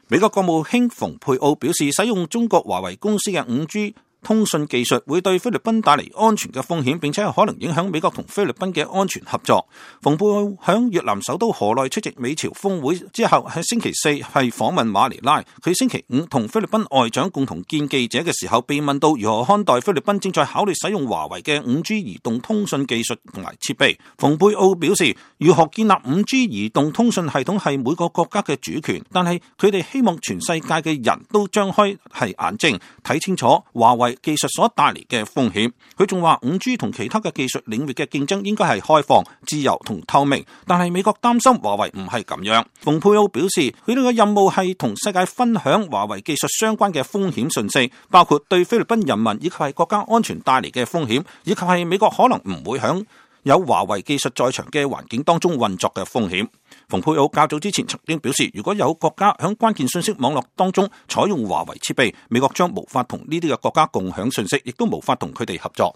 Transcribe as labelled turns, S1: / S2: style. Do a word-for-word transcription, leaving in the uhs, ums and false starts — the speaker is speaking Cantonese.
S1: 美國國務卿蓬佩奧表示，使用中國華為公司嘅 五 G通訊技術會對菲律賓帶嚟安全嘅風險，並且可能影響美國同菲律賓嘅安全合作。蓬佩奧響越南首都河內出席美朝峰會之後，喺星期四係訪問馬尼拉。佢星期五同菲律賓外長共同見記者嘅時候，被問到如何看待菲律賓正在考慮使用華為嘅 五 G 移動通訊技術同埋設備。蓬佩奧表示，如何建立 五 G 移動通訊系統係每個國家嘅主權，但係佢哋希望全世界嘅人都張開係眼睛睇清楚華為技術所帶嚟嘅風險。佢仲話 五 G 同其他嘅技術領域嘅競爭應該係開放、自由同透明，但係美國擔心華為唔係咁樣。蓬佩奧表示，佢哋嘅任務係同世界分享華為技術相關嘅風險信息，包括對菲律賓人民以及係國家安全帶嚟嘅風險，以及係美國可能唔會響有華為技術在場嘅環境當中運作嘅風險。蓬佩奧較早之前曾經表示，如果有國家響關鍵信息網絡當中採用華為設備，美國將無法同呢啲嘅國家共享信息，亦都無法同佢哋合作。